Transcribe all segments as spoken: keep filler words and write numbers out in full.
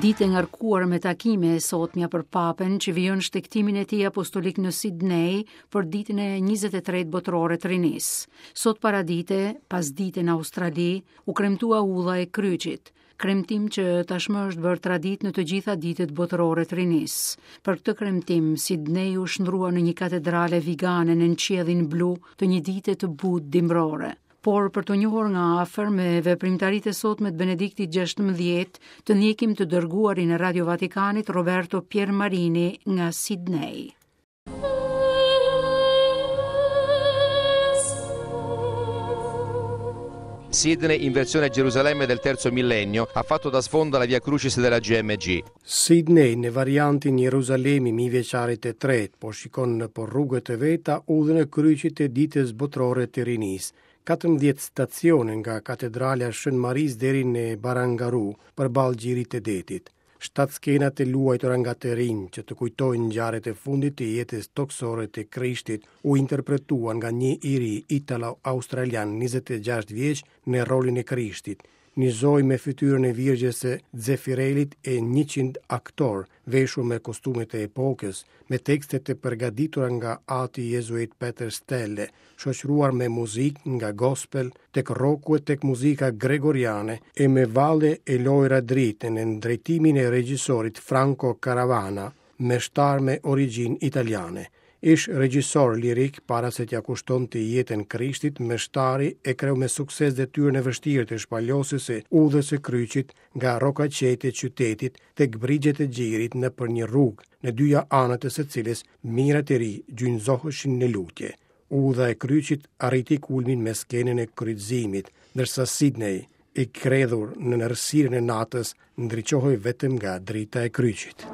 Ditë e ngarkuar me takime e sotmja për Papën që vijon shtegtimin e tij apostolik në Sidney për ditën e njëzet e tretë botërore të rinisë. Sot paradite, pas dite në Australi, u kremtua ulla e kryqit, kremtim që tashmë është bërë traditë në të gjitha ditët botërore të rinisë. Për këtë kremtim, Sidney u shndrua në një katedrale vigane në qiellin blu të një dite të butë dimrore. Por për të njohur nga afër me veprimtaritë e sotme të Benediktit gjashtëmbëdhjetë, të ndjekim të dërguarin e Radio Vatikanit Roberto Piermarini nga Sydney. Sydney, in versione Gerusalemme del terzo millennio, ha fatto da sfondo alla Via Crucis della G M G. Sydney, në variantin Jeruzalemi mijëvjeçarit të tretë, po shikon në për rrugët e veta udhën e kryqit të ditës botërore të rinisë. katërmbëdhjetë stacione nga katedralja Shën Marisë deri në Barangaroo, përballë gjirit të detit. Shtatë skena të luajtura nga të rinj që të kujtojnë ngjarjet e fundit të jetës toksore të Krishtit u interpretuan nga një i ri italo-australian njëzet e gjashtë vjeç në rolin e Krishtit, një zojë me fytyrën e Virgjës së Zefirelit e njëqind aktor veshur me kostumet e epokës, me tekste të përgatitura nga ati jezuit Peter Stelle, shoqëruar me muzikë nga gospel tek rocku e tek muzika gregoriane e me valle e lojra drite në drejtimin e regjisorit Franco Caravana, meshtar me origjinë italiane. Ish regjisor lirik para se t'ja kushtonte jetën Krishtit, meshtari e kreu me sukses detyrën e vështirë të shpalosjes së udhës së kryqit nga rrokaqet e qytetit tek brigjet e gjirit nëpër një rrugë, në dyja anët e së cilës mijëra të ri gjynëzoheshin në lutje. Udha e kryqit arriti kulmin me skenën e kryqëzimit, ndërsa Sydney, i kredhur në errësirën e natës, ndriçohej vetëm nga drita e kryqit.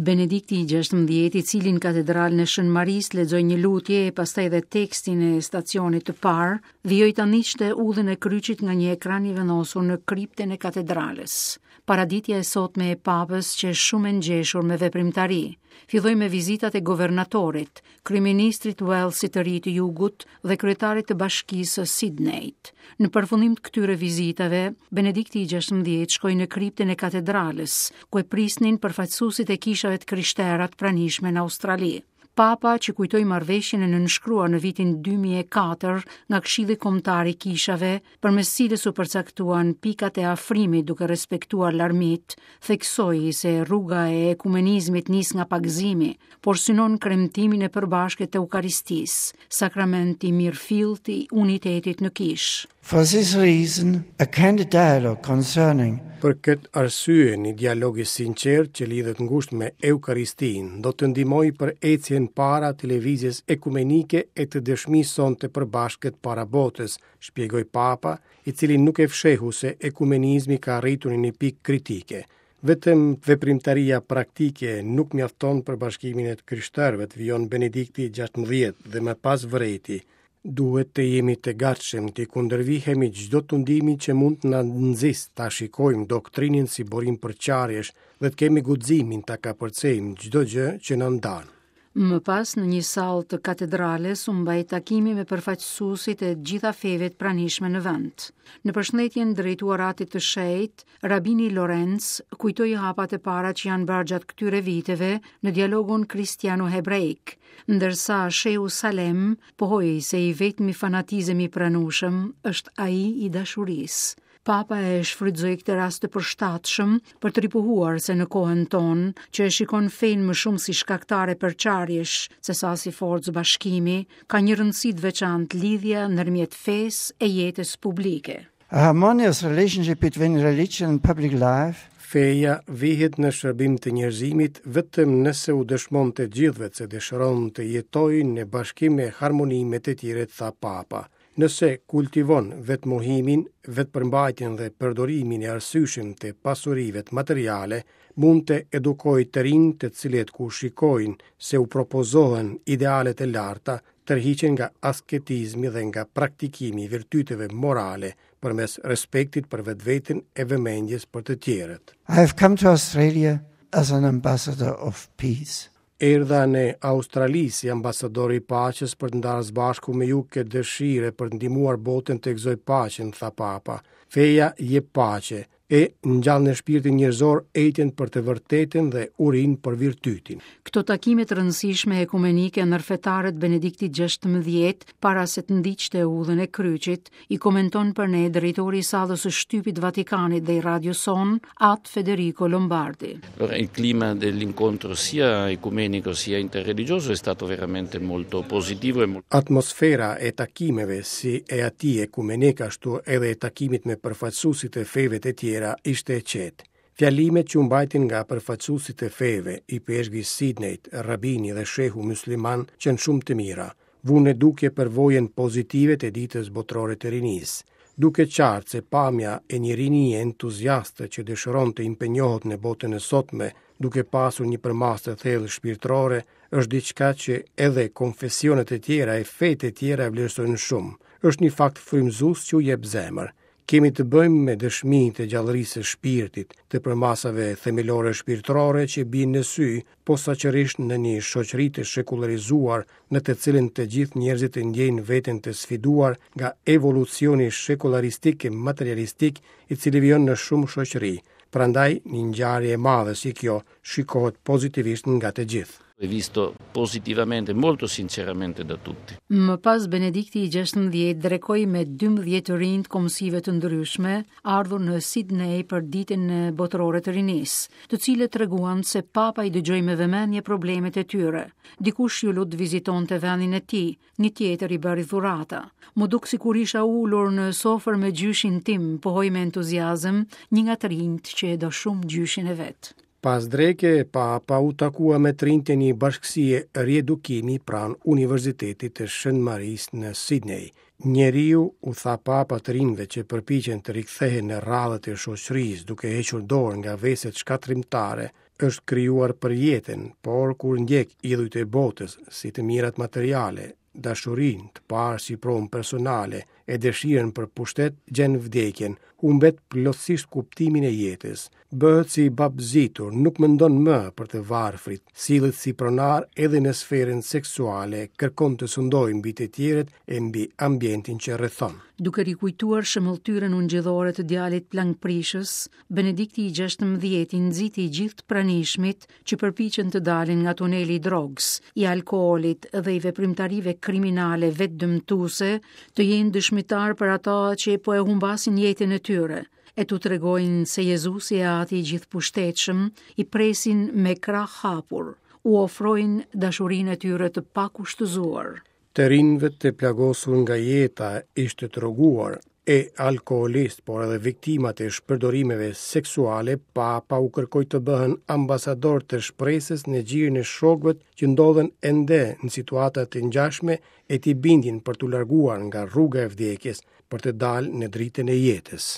Benedikti i gjashtëmbëdhjetë, i cili në katedralën e Shën Marisë lexoi një lutje e pastaj edhe tekstin e stacionit të parë, vijoi ta ndiqte udhën e kryqit nga një ekran i vendosur në kriptën e katedrales. Paraditja e sotme e Papës qe shumë e ngjeshur me veprimtari. Filloi me vizitat e governatorit, kryeministrit Walesit të ri të Jugut dhe kryetarit të bashkisë së Sydneyt. Në përfundim të këtyre vizitave, Benedikti i gjashtëmbëdhjetë shkoi në kriptën e katedrales, ku e prisnin përfaqësuesit e kishave të krishtera të pranishme në Australi. Papa, që kujtoi marrëveshjen e nënshkruar në vitin dy mijë e katër nga Këshilli Kombëtar i Kishave, përmes cilës u përcaktuan pikat e afrimit duke respektuar larmit, theksoi se rruga e ekumenizmit nis nga pagëzimi, por synon kremtimin e përbashkët të Eukaristisë, sakrament i mirëfillt i unitetit në kishë. For this reason, a candid dialogue concerning Për këtë arsye, një dialog i sinqert që lidhet ngushtë me Eukaristinë do të ndihmojë për ecjen para të lëvizjes ekumenike e të dëshmisë sonë të përbashkët para botës, shpjegoi Papa, i cili nuk e fshehu se ekumenizmi ka arritur në një pikë kritike. Vetëm veprimtaria praktike nuk mjafton për bashkimin e të krishterëve, vijon Benedikti gjashtëmbëdhjetë dhe më pas vërejti. Duhet të jemi të gatshëm të kundërvihemi çdo tundimi që mund të na nxisë ta shikojmë doktrinën si burim përçarjesh dhe të kemi guximin ta kapërcejmë çdo gjë që na ndan. Më pas, në një sallë të katedrales, u mbajt takimi me përfaqësuesit e gjitha feve të pranishme në vend. Në përshëndetjen drejtuar atit të shenjtë, Rabini Lorenz kujtoi hapat e para që janë bërë gjatë këtyre viteve në dialogun kristiano-hebreik, ndërsa Shehu Salem pohoi se i vetmi fanatizëm i pranueshëm është ai i dashurisë. Papa e shfrytëzoi këtë rast të përshtatshëm për të ripohuar se në kohën tonë, që e shikon fenë më shumë si shkaktare përçarjesh se sa si forcë bashkimi, ka një rëndësi të veçantë lidhja ndërmjet fesë e jetës publike. A harmonious relationship between religion and public life. Feja vihet në shërbim të njerëzimit vetëm nëse u dëshmon të gjithëve se dëshiron të jetojë në bashkim e harmoni me të tjerët, tha Papa. Nëse kultivon vetmohimin, vetpërmbajtjen dhe përdorimin e arsyeshëm të pasurive materiale, mund të edukojë të rinj të cilët kur shikojnë se u propozohen idealet e larta, tërhiqen nga asketizmi dhe nga praktikimi i virtyteve morale përmes respektit për vetveten e vëmendjes për të tjerët. I have come to Australia as an ambassador of peace. Erdha në Australi si ambasador i paqes për të ndarë së bashku me ju këtë dëshirë për të ndihmuar botën të gëzojë paqen, tha Papa. Feja jep paqe, e ngjall në shpirtin njerëzor etjen për të vërtetën dhe urinë për virtytin. Këto takime të rëndësishme ekumenike ndërfetare të Benediktit gjashtëmbëdhjetë, para se të ndiqte udhën e kryqit, i komenton për ne drejtori i sallës së shtypit Vatikanit dhe i radios sonë, At Federico Lombardi. Allora, il clima dell'incontro sia ecumenico sia interreligioso è stato veramente molto positivo e molto Atmosfera e takimeve si e atij ekumenik ashtu edhe e takimit me përfaqësuesit e feve të tjera ishte e qetë. Fjalimet që u mbajtin nga përfaqësuesit e feve, ipeshkvi i Sidneyt, rabini dhe shehu musliman, qenë shumë të mira. Vunë në dukje përvojën pozitive të ditës botërore të rinisë. Duke qartë se pamja e një rinie entuziaste që dëshiron të impenjohet në botën e sotme, duke pasur një përmasë të thellë shpirtërore, është diçka që edhe konfesionet e tjera e fetë e tjera e vlerësojnë shumë. Është një fakt frymëzues që u jep zemër. Kemi të bëjmë me dëshmi të gjallërisë së shpirtit, të përmasave themelore shpirtërore që bien në sy, posaçërisht në një shoqëri të shekullarizuar, në të cilën të gjithë njerëzit e ndjejnë veten të sfiduar nga evolucioni shekullaristik e materialistik i cili vijon në shumë shoqëri. Prandaj, një ngjarje e madhe si kjo shikohet pozitivisht nga të gjithë. È visto positivamente, molto sinceramente da tutti. Më pas Benedikti i gjashtëmbëdhjetë drekoi me dymbëdhjetë të rinj të kombësive të ndryshme, ardhur në Sydney për ditën botërore të rinisë, të cilët treguan se Papa i dëgjoi me vëmendje problemet e tyre. Dikush ju lut të vizitonte vendin e tij, një tjetër i bëri dhurata. Më duk sikur isha ulur në sofër me gjyshin tim, pohoi me entuziazëm një nga të rinjt që e do shumë gjyshin e vet. Pas dreke, Papa u takua me të rinjtë e një bashkësie riedukimi pranë Universitetit të Shën Marisë në Sydney. Njeriu u tha Papa të rinjve që përpiqen të rikthehen në radhët e shoqërisë duke hequr dorë nga veset shkatërrimtare, është krijuar për jetën, por kur ndjek idhujt e botës si të mirat materiale, dashurinë, të parë si pronë personale e dëshirën për pushtet, gjen vdekjen, humbet plotësisht kuptimin e jetës, bëhet si babzitur, nuk mendon më për të varfrit, sillet si pronar edhe në sferën seksuale, kërkon të sundojë mbi të tjerët e mbi ambientin që rrethon. Duke rikujtuar shëmbëlltyrën ungjillore të djalit plangprishës, Benedikti i gjashtëmbëdhjetë i nxiti gjithë të pranishmit që përpiqen të dalin nga tuneli i drogës, i alkoolit dhe i veprimtarive kriminale vetëdëmtuese, të jenë dëshmitar për ata që po e humbasin jetën e tyre, e t'u tregojnë se Jezusi e Ati i gjithëpushtetshëm i presin me krah hapur, u ofrojnë dashurinë e tyre të pakushtëzuar. Të rinjve të plagosur nga jeta ishte droguar e alkoolist, por edhe viktimat e shpërdorimeve seksuale, Papa u kërkoi të bëhen ambasador të shpresës në gjirin e shokëve që ndodhen ende në situata të ngjashme e t'i bindin për t'u larguar nga rruga e vdekjes, për të dalë në dritën e jetës.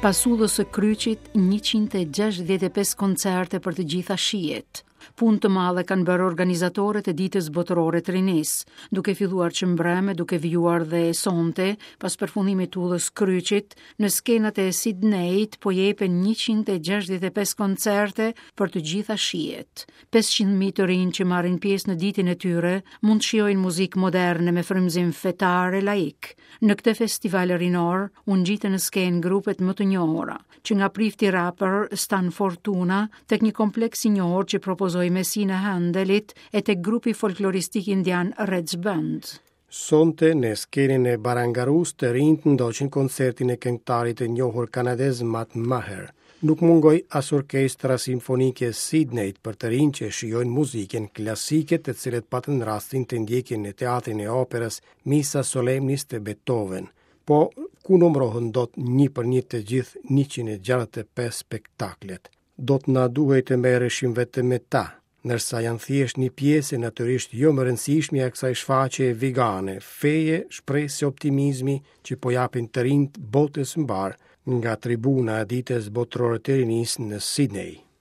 Pas udhës së kryqit, njëqind e gjashtëdhjetë e pesë koncerte për të gjitha shijet. Punë të madhe kanë bërë organizatorët e ditës botërore të rinisë, duke filluar që mbrëmë, duke vijuar dhe sonte, pas përfundimit të udhës kryqit, në skenat e Sydneyt po jepen njëqind e gjashtëdhjetë e pesë koncerte për të gjitha shijet. pesëqind mijë të rinj që marrin pjesë në ditën e tyre mund të shijojnë muzikë moderne me frymëzim fetar e laik. Në këtë festival rinor u ngjitën në skenë grupet më të njohura, që nga prifti rapper Stan Fortuna tek një kompleks i njohur që propozoi Mesinë e Handelit e tek grupi folkloristik indian Reds Band. Sonte në skenën e Barangarus të rinjt ndoqën koncertin e këngëtarit të njohur kanadez Matt Maher. Nuk mungoi as orkestra simfonike Sydneyt për të rinj që shijojnë muzikën klasike, të cilët patën rastin të ndjekin në teatrin e operës Missa Solemnis të Beethoven. Po ku numërohen dot një për një të gjithë njëqind e gjashtëdhjetë e pesë spektaklet? Do të na duhej të merreshim vetëm me ta, Ndërsa janë thjesht një pjesë e natyrisht jo më rëndësishme e kësaj shfaqje vigane, feje, shpresë e optimizmi që po japin të rinjt botës mbarë nga tribuna e ditës botërore të rinisë në Sydney.